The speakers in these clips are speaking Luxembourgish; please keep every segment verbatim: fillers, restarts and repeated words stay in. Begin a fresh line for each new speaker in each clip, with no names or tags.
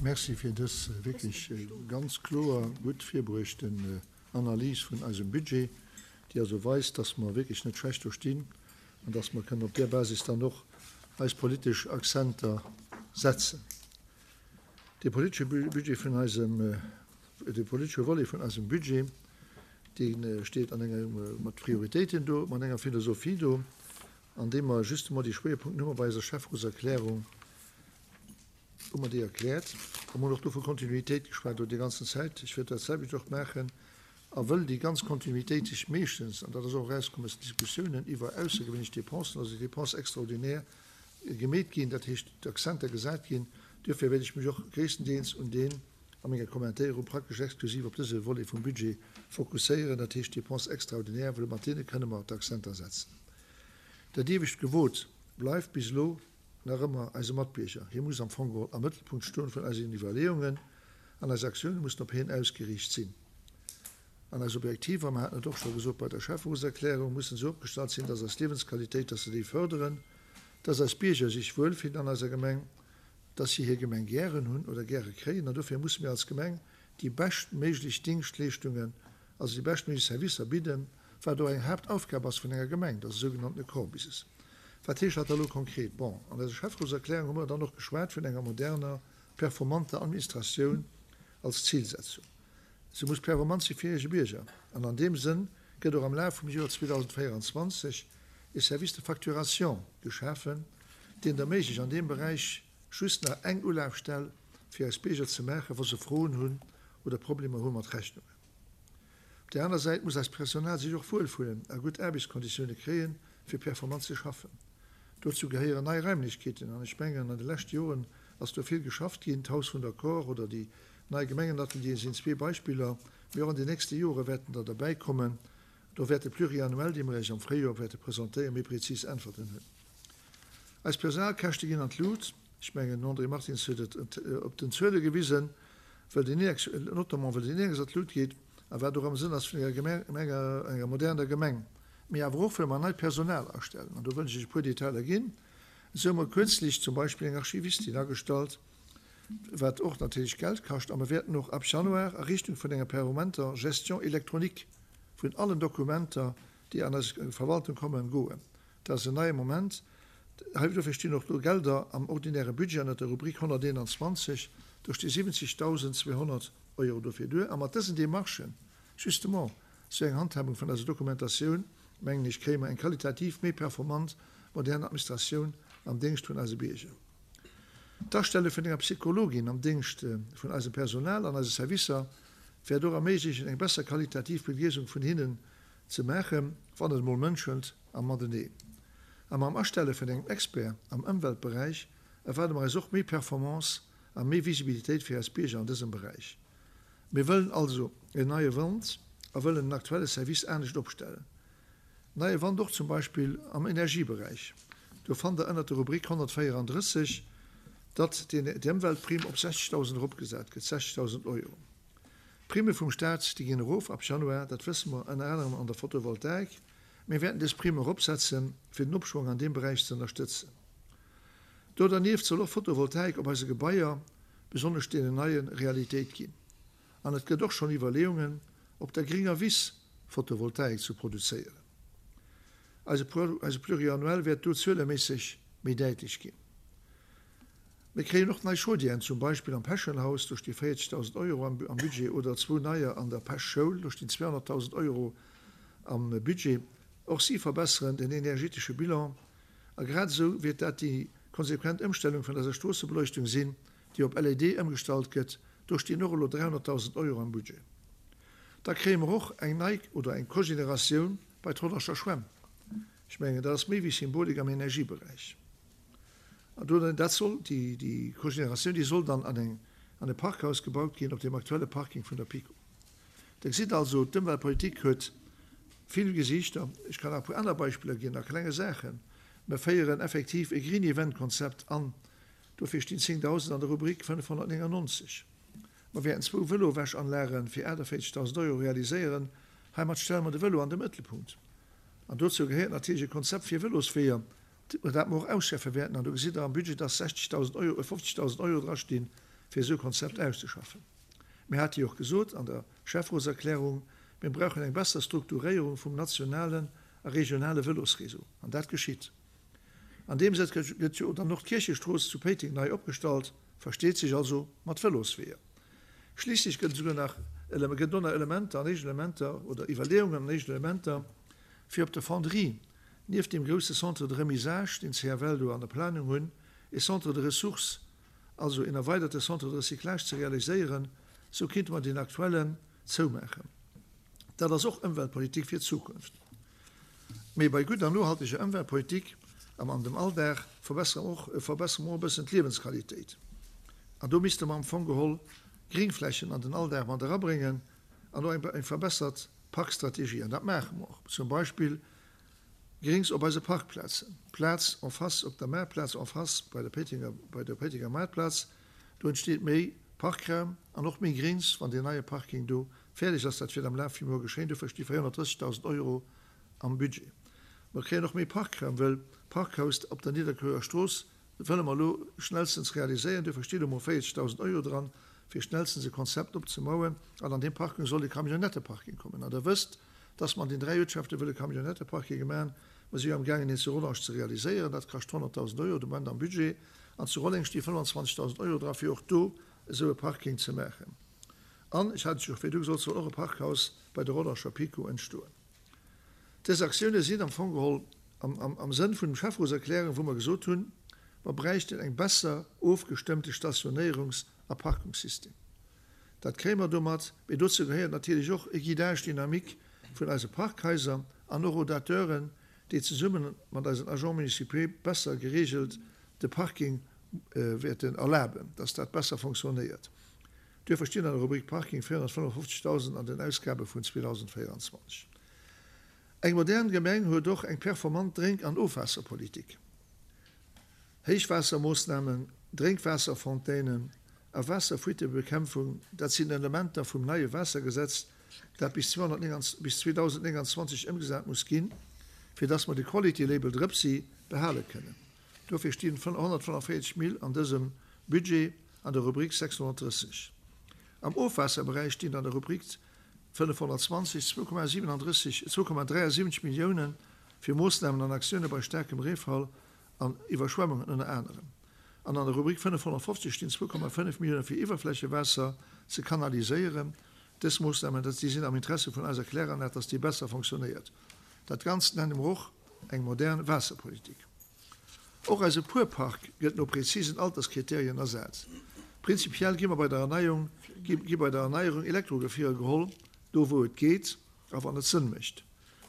Merci fir dës wierklech ganz kloer, gutt virbruechten Analys vun eisem Budget, déi also weist, dass mer wierklech net schlecht do stinn an dass mer kënnen op där Basis dann och eis politesch Akzenter setzen. De politesche Budget vun eisem, de politesche Volet vun eisem Budget, dee steet an enger, mat Prioritéiten do, mat enger Philosophie do, an deem mer justement déi Schwéierpunkten hu mer bei eiser Schäfferotserklärung, hu mer déi erkläert. A mer hunn och do vu Kontinuitéit geschwat do déi ganzen Zäit. Ech wäert dat selwecht och maachen. A wëll déi ganz Kontinuitéit sech meeschtens, an dat ass och erauskomm aus den Diskussiounen, iwwer aussergewéinlech Dépensen, also Dépenses extraordinaires, gemeet ginn, dat heescht d'Accenter gesat ginn, duerfir wäert ech mech och gréisstendeels un deen a menger Kommentéierung praktesch exklusiv op dëse Volet vum Budget fokusséieren, dat heescht d'Dépenses extraordinaires, wëll mat deene kënne mer d'Accenter setzen. Dat iewescht Gebot bleift bis elo nach ëmmer eise Matbierger. Hie muss am Fong geholl am Mëttelpunkt stoen vun eisen Iwwerleeungen an eis Aktioune mussen op hien ausgeriicht sinn. An eis Objektiver, mer haten et och scho gesot bei der Schäfferotserklärung, mussen esou opgestallt sinn, dass eis Liewensqualitéit, dass se déi förderen, dass eis Bierger sech wuelfillen an eiser Gemeng, dass si hir Gemeng gären hunn oder gäre kréien. An dofir musse mir als Gemeng déi beschtméiglech Dingschtleeschtungen, also déi beschtméiglech Servicer bidden, wat och eng Haaptaufgab ass vun enger Gemeng, dat ass e sougenanntene Core Business. Wat heescht dat da elo konkret? Bon, an eiser Schäfferotserklärung hu mer dann och geschwat vun enger moderner, performanter Administratioun als Zilsetzung. Se muss performant si fir hir Bierger. An an deem Sënn gëtt och am Laf vum Joer zweedausendvéierundzwanzeg e Service de facturation geschafen, deen et erméiglecht, an deem Beräich just nach eng Ulafstell fir eis Bierger ze maachen, wa se Froen hunn oder Problemer hu mat Rechnungen. Op där aner Säit muss eist Personal sech och wuelfullen a gutt Aarbechtskonditioune kréien, fir performant ze schaffen. Dozou gehéieren nei Raimlechkeeten, an ech mengen, an de leschte Joren ass do vill geschafft ginn. D'Haus vun der Kor oder déi nei Gemengenateliere sinn zwee Beispiller, mee och an den nächste Jore wäerten der derbäikommen. Do wäert de Pluriannuel, dee mer Iech am Fréijoer wäerte presentéieren, méi prezis Äntwerten hunn. Eis Personalkäschte ginn an d'Lut. Ech mengen, den André Martins huet et op den Zuele gewisen, well den Index, notamment well den Index an d'Lut geet a wat och am Sënn ass vun enger Gemeng, enger moderner Gemeng, mee awer och well mer neit Personal astellen. An do wëll ech Iech e puer Detailer ginn. Esou hu mer kürzlech zum Beispill eng Archivistin agestallt, wat och natierlech Geld kascht, a mer wäerten och ab Januar a Richtung vun enger permanenter Gestion électronique vun allen Dokumenter, déi an eis Verwaltung kommen, goen. Dat ass en neie Moment. Hei dofir stinn och do Gelder am ordinäre Budget ënnert der Rubrik honnerteenanzwanzeg. Do sti siwwenzegtausendzweehonnert Euro dofir duer. A mat dësen Demarchen, justement, sou eng Handhabung vun eiser Dokumentatioun, mengen ech, kréie mer eng qualitativ méi performant modern Administratioun am Déngscht vun eise Bierger. D'Astelle vun enger Psychologin am Déngscht vun eisem Personal an eise Servicer wäert och erméiglechen, eng besser qualitativ Begleesung vun hinnen ze maachen, wann et emol mënschelt am Mateneen. A mam Astelle vun engem Expert am Ëmweltberäich erwaarde mer eis och méi Performance a méi Visibilitéit fir eis Bierger an dësem Beräich. Mir wëllen also en neie Wand a wëllen den aktuelle Service anescht opstellen. Neie Wand och zum Beispill am Energieberäich. Do fannt Der ënnert der Rubrik honnertvéierandrësseg, datt d'Ëmweltprimm op sechzegdausend eropgesat gëtt, sechzegdausend Euro. D'Primme vum Staat, déi ginn erof ab Januar, dat wësse mer, ënner anerem an der Photovoltaik. Mir wäerten dës Primm eropsetzen, fir den Opschwong an deem Beräich ze ënnerstëtzen. Do dernieft soll och Photovoltaik op eise Gebaier, besonnesch deenen neien, Realitéit ginn. An et gëtt och schonn Iwwerleeungen, op der gringer Wiss Photovoltaik ze produzéieren. Eise Pluriannuel wäert do zueleméisseg méi däitlech ginn. Mir kréien och nei Chaudièren, zum Beispill am Peschenhaus, do sti véierzegdausend Euro am Budget, oder zwou neier an der Pesch-Schoul, do stinn zweehonnertdausend Euro am Budget. Och si verbesseren den energetesche Bilan. A grad esou wäert dat déi konsequent Ëmstellung vun eiser Stroossebeleuchtung sinn, déi op L E D ëmgestallt gëtt. Do stinn och elo dräihonnertdausend Euro am Budget. Da kréie mer och eng nei oder eng Cogénératioun bei d'Hollerscher Schwämm. Ech mengen, dat ass méi wéi Symbolik am Energieberäich. An do, dat soll, déi, déi Cogénératioun, déi soll dann an eng, an e Parkhaus gebaut ginn op deem aktuelle Parking vun der PiKo. Der gesitt also, d'Ëmweltpolitik huet vill Gesiichter. Ech kann nach e puer aner Beispiller ginn a klenge Saachen. Mer féieren effektiv e Green Event Konzept an. Dofir stinn zéngdausend an der Rubrik fënnefhonnertnéngannonzeg. Mer wäerten zwou Vëlowäschanlage fir aachtavéierzegdausend Euro realiséieren. Heimat stelle mer de Vëlo an de Mëttelpunkt. An dozou gehéiert natierlech e Konzept fir Vëlosweeër, dat mer och ausschaffe wäerten. An do gesitt Der am Budget, dass sechzegdausend Euro, fofzegdausend Euro drastinn fir esou e Konzept auszeschaffen. Mir hate jo och gesot an der Schäfferotserklärung, mir brauchen eng besser Strukturéierung vum nationalen a regionale Vëlosreseau. An dat geschitt. An deem Sënn gëtt jo dann och d'Kierchestrooss zu Péiteng nei opgestallt, versteet sech also mat Vëlosweeër. Schliisslech gëtt esouguer nach gëtt do nach Elementer an éischten Elementer oder Iwwerleeungen an éischten Elementer, fir op der Fonderie nieft deem grousse Centre de remisage, deen d'CFL do an der Planung hunn, e Centre de ressources, also een erweiderte Centre de recyclage ze realiséieren, sou kéinte mer deen aktuellen zoumaachen. Dat ass och Ëmweltpolitik fir d'Zukunft. Mee bei gudder nohalteger Ëmweltpolitik am an dem Alldag verbessere mer och verbessere mer och e bëssen d'Liewensqualitéit. An do misste mer am Fong geholl Gringflächen an den Alldag mat erabréngen an och eng eng verbessert Parkstrategie. An dat maache mer och, zum Beispill Grings op eise Parkplazen, Plaz en face op der Maartplaz, en face bei der Péitenger bei der Péitenger Maartplaz. Do entsteet méi Parkraum an och méi Grings, wann deen neie Parking do fäerdeg ass. Dat wäert am Laf vum Joer geschéien. Dofir sti véierhonnertdrëssegdausend Euro am Budget. Mer kréien och méi Parkraum, wëll d'Parkhaus op der Nidderkuerer Strooss wëlle mer elo schnellstens realiséieren. Dofir sti lo mol véierzegdausend Euro dran, fir schnellstens e Konzept opzemauen. An an deem Parking soll e Camionnetteparking kommen. An Der wësst, dass mer an den dräi Uertschafte wëlle Camionnetteparkinge maachen. Mer si jo amgaangen, een zu Rodange ze realiséieren. Dat kascht honnertdausend Euro de Moment am Budget. An zu Rolleng sti fënnwanzwanzegdausend Euro dra fir och do esou e Parking ze maachen. An, ech hat et jo virdu gesot, soll och e Parkhaus bei der Rodanger PiKo entstoen. Dës Aktioune sinn am Fong geholl am Sënn vun dem Schäfferotserklärung, wou mer gesot hunn, mer bräichten eng besser ofgestëmmte Stationéierungs a Parkungssystem. Dat kréie mer domat, mee dozou gehéiert natierlech och e Guidage dynamique vun eise Parkhaiser an och Rodateuren, déi zesumme mat eisen Agents municipaux besser geregelt de Parking wäerten erlaben, dass dat besser fonctionnéiert. Duerfir stinn an der Rubrik Parking véierhonnertfënnefofzegdausend an den Ausgabe vun zweedausendvéieranzwanzeg. Eng modern Gemeng huet och eng performant Drénk an Ofwaasserpolitik. Héichwaassermoossnamen, Drénkwaasserfontainen a Waasserfuitebekämpfung, dat sinn Elementer vum neie Waassergesetz, dat bis zweedausendnénganzwanzeg ëmgesat muss ginn, fir dass mer de Quality Label Drëpsi behale kënnen. Dofir stinn honnertfënnefvéierzeg Mil an dësem Budget an der Rubrik sechshonnertdrësseg. Am Ofwaasserberäich stinn an der Rubrik fënnefhonnertzwanzeg zwou Komma siwenandrësseg, zwou Komma dräiasiwwenzeg Millioune fir Moossnamen an Aktioune bei staarkem Reefall an Iwwerschwemmungen ënner anerem. An an der Rubrik fënnefhonnertfofzeg stinn zwou Komma fënnef Millioune fir Iwwerflächewaasser ze kanaliséieren. Dës Moossnamen, dat déi sinn am Interesse vun eiser Kläranlag, dass déi besser fonctionnéiert. Dat Ganzt nenne mer och eng modern Waasserpolitik. Och eise Puerpark gëtt no prezisen Alterskriterien ersat. Prinzipiell gi mer bei der Erneiung, gi bei der Erneierung Elektrogefierer geholl, do wou et geet a wann et Sënn mécht.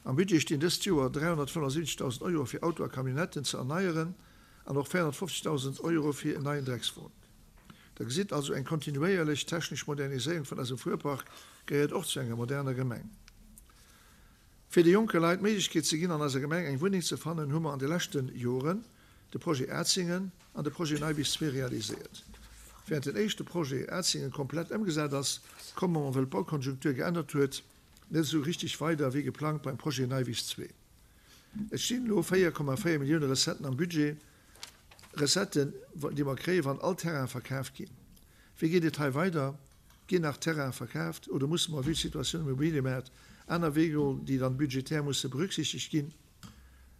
Am Budget stinn dëst Joer dräihonnertfënnefundsiwwenzegdausend Euro fir Auto a Camionnetten ze erneieren an och véierhonnertfofzegdausend Euro fir en neien Dreckswon. Der gesitt also, eng kontinuéierlech technesch Moderniséierung vun eisem Fuerpark gehéiert och zu enger moderner Gemeng. Fir de jonke Leit d'Méiglechkeet ze ginn, an eiser Gemeng eng Wunneng ze fannen, hu mer an de leschte Joren de Projet Atzingen an de Projet Neiwiss zwee realiséiert. Während den éischte Projet Atzingen komplett ëmgesat ass, komme mer, wëll d'Baukonjunktur geännert huet, net esou richtig weider wéi geplangt beim Projet Neiwiss zwee. Et stinn elo véier Komma véier Millioune Recetten am Budget, Recetten, déi mer kréien, wann all Terraine verkaaft ginn. Wéi geet et hei weider? Ginn nach Terraine verkaaft oder musse mer, vue d'Situatioun um Immobiliëmaart, aner Weeër goen, déi dann budgetär musse berücksichtegt ginn?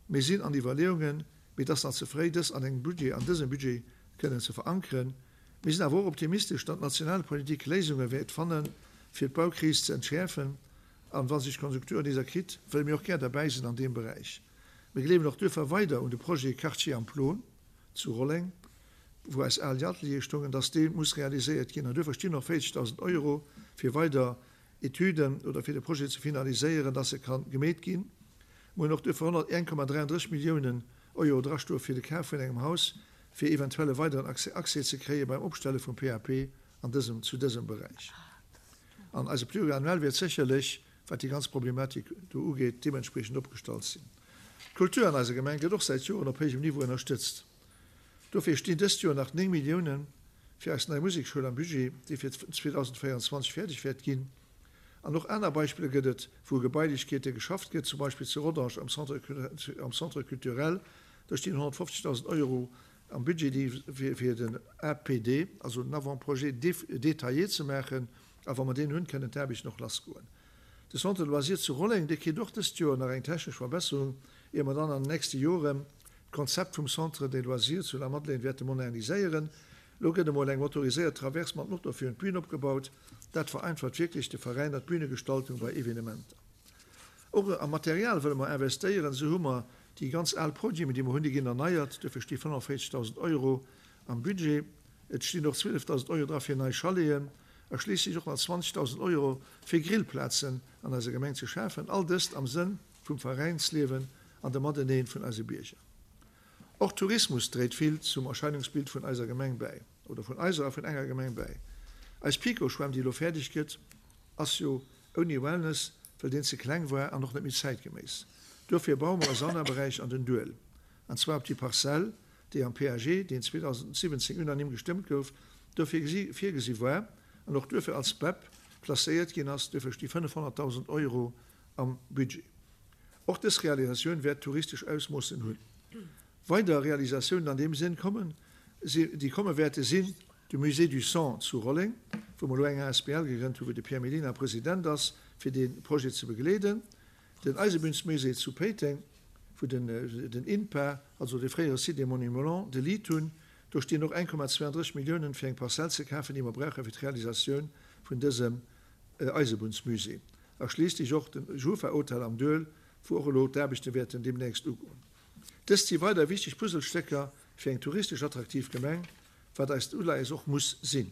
Mir sinn an Iwwerleeungen, mee et ass nach ze fréi, dës an engem Budget, an dësem Budget kënnen ze verankeren. Mir sinn awer och optimistesch, datt d'Nationalpolitik Léisunge wäert fannen, fir d'Baukris ze entschäerfen. An wa sech d'Konjunktur nees erkritt, wëlle mir och gär derbäi sinn an deem Beräich. Mir gleewen och duerfir weider un de Projet Quartier am Plon zu Rolleng, wou eis al Ateliere stoungen, dass dee muss realiséiert ginn. An duerfir stinn och véierzegdausend Euro fir weider Etüden oder fir de Projet ze finaliséieren, dass e ka gemeet ginn. Mir hunn och duerfir honnert eng Komma dräianddrësseg Milliounen Euro drastoe fir de Kaf vun engem Haus, fir eventuell e weideren Accès ze kréie beim Opstelle vum P A P an dësem, zu dësem Beräich. An eise Pluriannuel wäert sécherlech, wat déi ganz Problematik do ugeet, deementspriechend opgestallt sinn. D'Kultur an eiser Gemeng gëtt och säit Joren op héijem Niveau ënnerstëtzt. Dofir stinn dëst Joer nach néng Millioune fir eis nei Musekschoul am Budget, déi fir zweedausendvéieranzwanzeg fäerdeg wäert ginn. An och aner Beispiller gëtt et, wou u Gebailechkeete geschafft gëtt, zum Beispill zu Rodange am Centre am Centre culturel. Do stinn honnertfofzegdausend Euro am Budget, déi fir den A P D, also den Avant-projet détaillé ze maachen, a wa mer deen hunn, kënnen d'Aarbechten och lassgoen. De Centre de loisirs zu Rolleng, dee kritt och dëst Joer nach eng technesch Verbesserung, ier mer dann an den nächste Joren d'Konzept vum Centre des loisirs zu Lamadelaine wäerte moderniséieren. Elo gëtt emol eng motoriséiert Traverse mat Motor virun d'Bün opgebaut. Dat vereinfacht wierklech de Veräiner d'Bünegestaltung bei Evenementer. Och a Material wëlle mer investéieren. Esou hu mer déi ganz al Podiumen, déi mer hunn, déi ginn erneiert. Duerfir sti fënnefenvéierzegdausend Euro am Budget. Et stinn och zwielefdausend Euro dra fir nei Chaleten a schliisslech och nach zwanzegdausend Euro fir Grillplazen an eiser Gemeng ze schafen. All dëst am Sënn vum Veräinsliewen an dem Mateneen vun eise Bierger. Och Tourismus dréit vill zum Erscheinungsbild vun eiser Gemeng bäi, oder vun eiser a vun enger Gemeng bäi. Eis PiKo-Schwämm, déi elo fäerdeg gëtt, ass jo ouni Wellness, well deen ze kleng war an och net méi zäitgeméiss. Duerfir baue mer e Saunaberäich an den Duel, an zwar op déi Parzell, déi am P A G, deen zweedausendsiwwenzéng unanime gestëmmt gouf, duerfir virgesi war an och duerfir als B E P klasséiert ginn ass. Duerfir sti fënnefhonnertdausend Euro am Budget. Och dës Realisatioun wäert touristesch Ausmoossen hunn. Weider Realisatiounen an deem Sënn kommen, déi komme wäerte sinn de Musée du Sang zu Rolleng, wou mer elo eng A S B L gegrënnt hunn, wou de Pierre Mellina President ass, fir dee Projet ze begleeden, den Eisebunnsmusée zu Péiteng, wou den den INPA, also de fréiere Site des Monuments, de Lead hunn. Do stinn och eng Komma zwouandrësseg Milliounen, fir eng Parzell ze kafen, déi mer brauche fir d'Realisatioun vun dësem Eisebunnsmusée. A schliisslech och de Jufa-Hotel am Duel, wou och elo d'Aarbechte wäerten deemnächst ugoen. Dëst si weider wichteg Puzzlestécker fir eng touristesch attraktiv Gemeng, wat eist Uleies och muss sinn.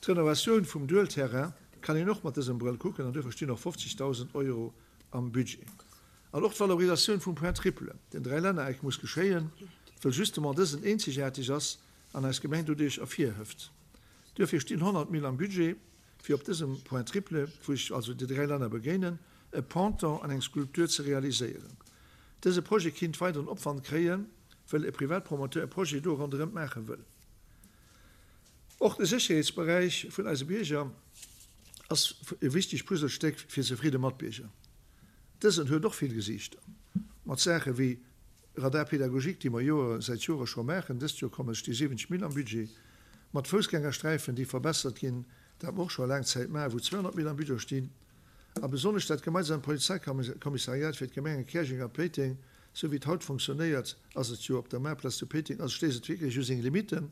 D'Renovatioun vum Duelterrain kann een och mat dësem Brëll kucken an duerfir stinn och fofzegdausend Euro am Budget. An och d'Valorisatioun vum Point triple, den Dräilännereck, muss geschéien, wëll justement dësen eenzegaarteg ass an eis Gemeng doduerch ervirhëft. Duerfir stinn honnert Mille am Budget, fir op dësem Point triple, wou sech also déi dräi Länner begéinen, e Ponton an eng Skulptur ze realiséieren. Dëse Projet kinnt weideren Opwand kréien, wëll e Privatpromoteur e Projet do ronderëm maache wëll. Och de Sécherheetsberäich vun eise Bierger ass e wichtegt Puzzlestéck fir zefridde Matbierger. Dësen huet och vill Gesiichter. Mat Saache wéi Radar pédagogique, déi mer Joer säit Jore scho maachen, dëst Joer kommen sti siwwenzeg Mille am Budget, mat Foussgängersträifen, déi verbessert ginn, dat mer och scho laang Zäit maachen, wou zweehonnert Mille am Budget stinn, a besonnesch dat gemeinsamt Polizeikommissariat fir d'Gemenge Käerjeng a Péiteng, sou wéi et haut fonctionnéiert, ass et jo op der Maartplaz zu Péiteng, also stéisst et wierklech u seng Limitten.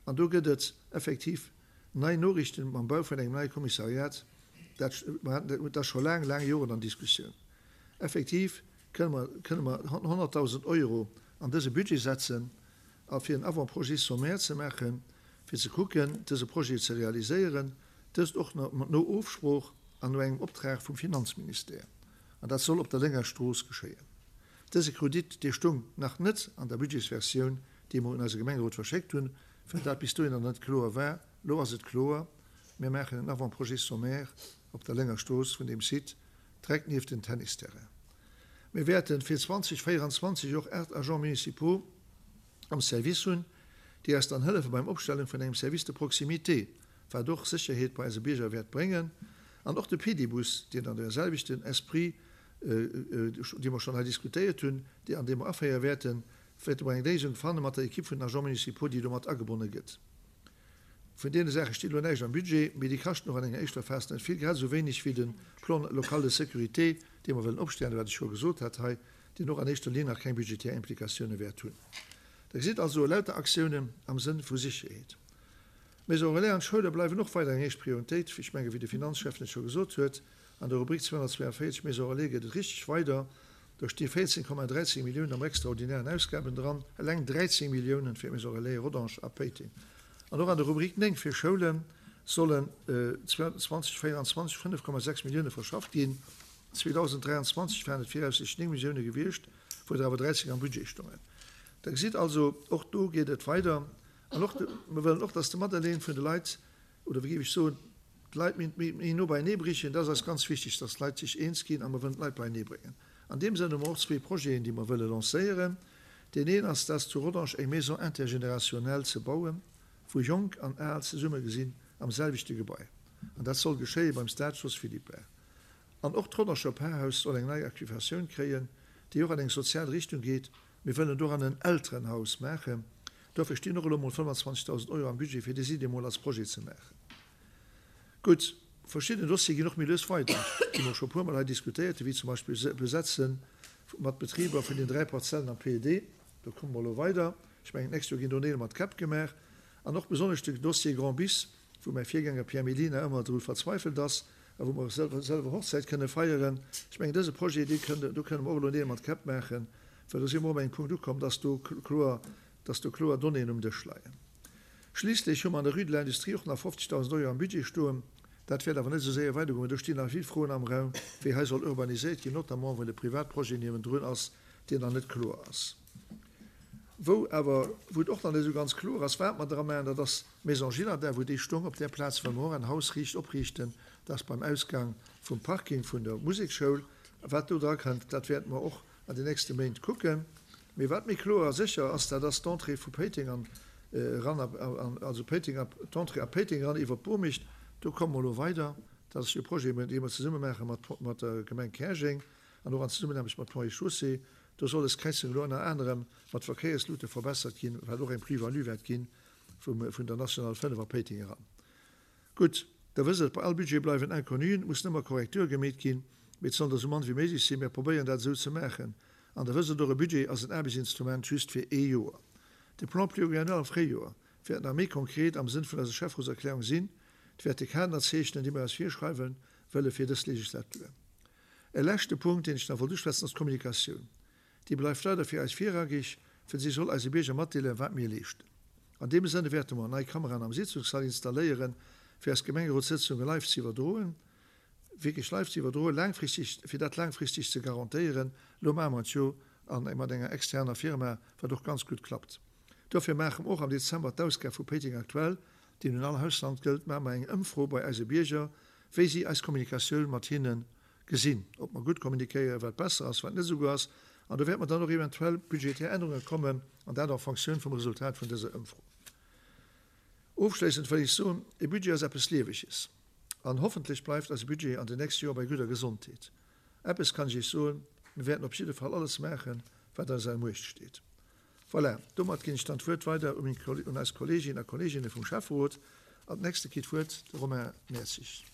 An do gëtt et effektiv nei Noriichten mam Bau vun engem neie Kommissariat. Dat dat ass scho laang, laang Joren an Diskussioun. Effektiv kënne mer, kënne mer honnertdausend Euro an dëse Budget setzen, a fir en Avant-projet sommaire ze maachen, fir ze kucken, dëse Projet ze realiséieren, dëst och no Ofsprooch an no engem Optrag vum Finanzministère. An dat soll op der Lénger Strooss geschéien. Dëse Kredit, dee stoung nach net an der Budgetsversioun, déi mer un eise Gemengerot verschéckt hunn, well dat bis dohinner net kloer war. Elo ass et kloer, Mir maachen en Avant-projet sommaire op der Lénger Strooss vun deem Site, direkt nieft den Tennisterrain. Mir wäerte fir zweedausendvéieranzwanzeg och aacht Agents municipaux am Service hunn, déi eis dann hëllefe beim Opstellen vun engem Service de proximité, wat och Sécherheet bei eise Bierger wäert bréngen. An och de Pedibus, deen an deem selwechten Esprit, dee mer schonn hei diskutéiert hunn, dee an deem mer aféiere wäerten, wäerte mer eng Léisung fanne mat der Ekipp vun den Agents municipaux, déi do mat agebonne gëtt. Vun deene Saache steet elo näischt am Budget, mee déi kaschten och an enger éischter Phas net vill, grad esou wéineg wéi de Plan local de sécurité, dee mer wëllen opstellen, wat ech scho gesot hat hei, deen och an éischter Linn nach keng budgetär Implikatioune wäert hunn. Der gesitt also, lauter Aktiounen am Sënn vu Sécherheet. D'Maison relais an d'Schoule bleiwen och weider eng héich Prioritéit, ech menge wéi de Finanzschäffen et scho gesot huet. An der Rubrik zweehonnertzweeanvéierzeg Maison relais geet et richteg weider. Do sti véierzéng Komma dräizéng Milliounen am extraordinären Ausgaben dran, eleng dräizéng Milliounen fir d'Maison relais Rodange a Péiteng. An och an der Rubrik néng fir Schoule sollen zweedausendvéieranzwanzeg fënnef Komma sechs Millioune verschafft ginn. zweedausendräianzwanzeg waren et viraussichtlech néng Millioune gewiescht, wou der awer dräizéng am Budget stoungen. Der gesitt also, och do geet et weider. An och de, mer wëllen och, dass de Materleen vun de Leit, oder wéi géif ech soen, d'Leit méi, méi, méi no beienee brichen. Dat ass eis ganz wichteg, dass d'Leit sech eens ginn a mer wëllen d'Leit beienee bréngen. An deem Sënn hu mer och zwee Projeten, déi mer wëlle lancéieren. Deen een ass, dass zu Rodange eng Maison intergénérationnelle ze bauen, wou Jonk an Al zesumme gesinn am selwechte Gebai. An dat soll geschéie beim Stade Jos Philippart. An och d'Rodanger Parhaus soll eng nei Activatioun kréien, déi och an eng sozial Richtung geet. Mir wëllen doran en Elterenhaus maachen. Dofir stinn och elo mol fënnwanzwanzegdausend Euro am Budget, fir déi Iddi mol als Projet ze maachen. Gutt, verschidden Dossiere ginn och méi lues weider, déi mer scho puermol hei diskutéiert hunn, wéi zum Beispill d'Besetze mat Betriber vun den dräi Parzellen am P E D. Do komme mer elo weider. Ech mengen, d'nächst Joer ginn do Neel mat Käpp gemaach. An och besonnesch de Dossier Grand Bis, wou mäi Virgänger Pierre Mellina ëmmer dru verzweifelt ass a wou mer selwer Hochzäit kënne feieren. Ech mengen, dëse Projet, dee kënn, do kënne mer och elo Neel mat Käpp maachen, well do si mer op engem Punkt ukomm, dass do kloer, dass do kloer Donnéeën um Dësch leien. Schliisslech hu mer an der Rue de l'Industrie och nach fofzegdausend Euro am Budget stoen. Dat wäert awer net esou séier weidergoen. Do stinn nach vill Froen am Raum, wéi hei soll urbaniséiert ginn, notamment well e Privatprojet niewendrun ass, deen nach net kloer ass. Wou awer, wou et och nach net esou ganz kloer ass, wat mer dra maachen, dat ass d'Maison Gillardin, wou déi stoung. Op där Plaz wëlle mer och en Haus riicht opriichten, dat ass beim Ausgang vum Parking vun der Musekschoul. Wat do dra kënnt, dat wäerte mer och an den nächste Méint kucken. Mee wat méi kloer a sécher ass, dat ass d'Entrée vu Péiteng an eran, also Péiteng a, d'Entrée a Péiteng eran iwwer d'Bomicht. Do komme mer elo weider. Dat ass jo e Projet, dee mer zesumme maache mat der Gemeng Käerjeng an och an Zesummenaarbecht mat Ponts et Chaussées. Do soll des Kräizung elo ënner anerem mat Verkéierslute verbessert ginn, wat och eng Plus-value wäert gi vun der National fënnef a Péiteng eran. Gutt, Der wësst et, bei all Budget bleiwen Inconnuen, et mussen ëmmer Korrekture gemeet ginn, mee et sollen der esou mann wéi méiglech sinn. Mir probéieren dat esou ze maachen. An Der wësst et och, e Budget ass en Aarbechtsinstrument just fir ee Joer. De Plan pluriannuel am Fréijoer wäert nach méi konkret am Sënn vun eiser Schäfferotserklärung sinn. Et wäert de Kader zeechnen, dee mir eis virschreiwen wëlle fir dës Legislatur. E leschte Punkt, deen ech nach wollt uschwätzen, ass d'Kommunikatioun. Déi bleift weider fir eis virrangig, well si soll eise Bierger matdeelen, wat mir leeschten. An deem Sënne wäerte mer nei Kameraen am Sitzungssall installéieren, fir eis Gemengerotssëtzunge live ze iwwerdroen, wierklech live ze iwwerdroen, laangfristeg, fir dat laangfristeg ze garantéieren. Elo maache mer et jo mat enger externer Firma, wat och ganz gutt klappt. Dofir maache mer och am Dezember d'Ausgab vu Péiteng Aktuell, déi un all Haushalt gëllt, maache mer eng Ëmfro bei eise Bierger, wéi si eis Kommunikatioun mat hinne gesinn, ob mer gutt kommunikéieren, wat besser ass, wat net esou gutt ass. An do wäerte mer dann och eventuell budgetär Ännerunge kommen, an dat en Fonctioun vum Resultat vun dëser Ëmfro. Ofschléissend wëll ech soen, E Budget ass eppes Lieweges. An hoffentlech bleift eise Budget an den nächste Joer bei gudder Gesondheet. Eppes kann ech Iech soen, Mir wäerten op jidde Fall alles maachen, wat a eiser Muecht steet. Voilà, domat ginn ech dann d'Wuert weider un eis Kolleeginnen a Kolleeginne vum Schäfferot. Als nächste kritt d'Wuert de Romain Mertzig.